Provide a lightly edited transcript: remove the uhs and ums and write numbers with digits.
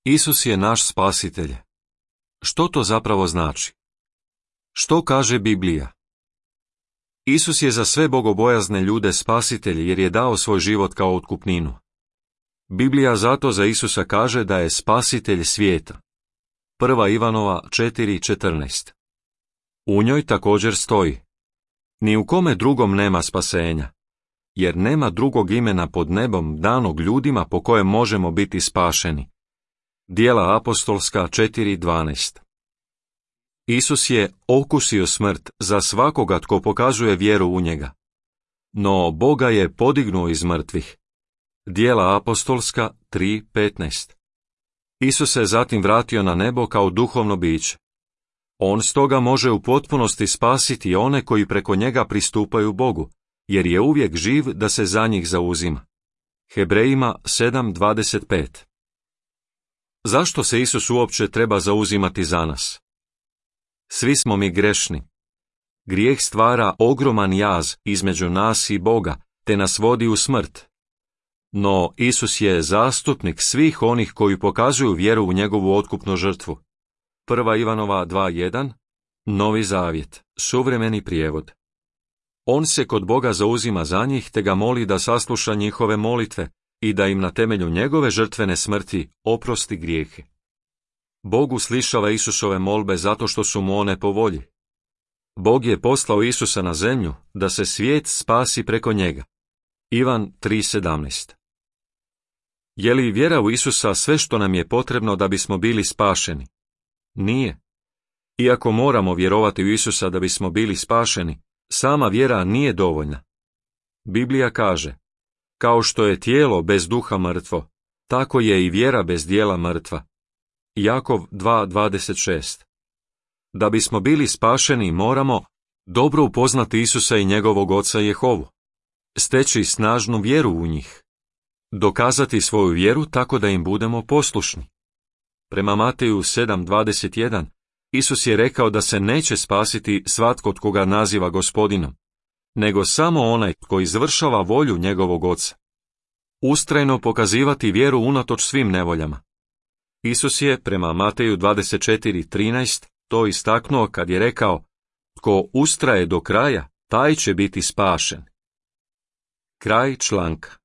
Isus je naš spasitelj. Što to zapravo znači? Što kaže Biblija? Isus je za sve bogobojazne ljude spasitelj jer je dao svoj život kao otkupninu. Biblija zato za Isusa kaže da je spasitelj svijeta. 1. Ivanova 4:14. U njoj također stoji: Ni u kome drugom nema spasenja, jer nema drugog imena pod nebom danog ljudima po kojem možemo biti spašeni. Djela apostolska 4:12. Isus je okusio smrt za svakoga tko pokazuje vjeru u njega. No Boga je podignuo iz mrtvih. Djela apostolska 3:15. Isus se zatim vratio na nebo kao duhovno biće. On stoga može u potpunosti spasiti one koji preko njega pristupaju Bogu, jer je uvijek živ da se za njih zauzima. Hebrejima 7:25. Zašto se Isus uopće treba zauzimati za nas? Svi smo mi grešni. Grijeh stvara ogroman jaz između nas i Boga, te nas vodi u smrt. No Isus je zastupnik svih onih koji pokazuju vjeru u njegovu otkupnu žrtvu. 1. Ivanova 2:1, Novi Zavjet, suvremeni prijevod. On se kod Boga zauzima za njih te ga moli da sasluša njihove molitve i da im na temelju njegove žrtvene smrti oprosti grijehe. Bog uslišava Isusove molbe zato što su mu one po volji. Bog je poslao Isusa na zemlju da se svijet spasi preko njega. Ivan 3:17. Je li vjera u Isusa sve što nam je potrebno da bismo bili spašeni? Nije. Iako moramo vjerovati u Isusa da bismo bili spašeni, sama vjera nije dovoljna. Biblija kaže: Kao što je tijelo bez duha mrtvo, tako je i vjera bez djela mrtva. Jakov 2:26. Da bismo bili spašeni moramo dobro upoznati Isusa i njegovog oca Jehovu, steći snažnu vjeru u njih, dokazati svoju vjeru tako da im budemo poslušni. Prema Mateju 7:21, Isus je rekao da se neće spasiti svatko tko ga naziva Gospodinom, nego samo onaj tko izvršava volju njegovog oca. Ustrajno pokazivati vjeru unatoč svim nevoljama. Isus je prema Mateju 24:13 to istaknuo kad je rekao: Tko ustraje do kraja, taj će biti spašen. Kraj članka.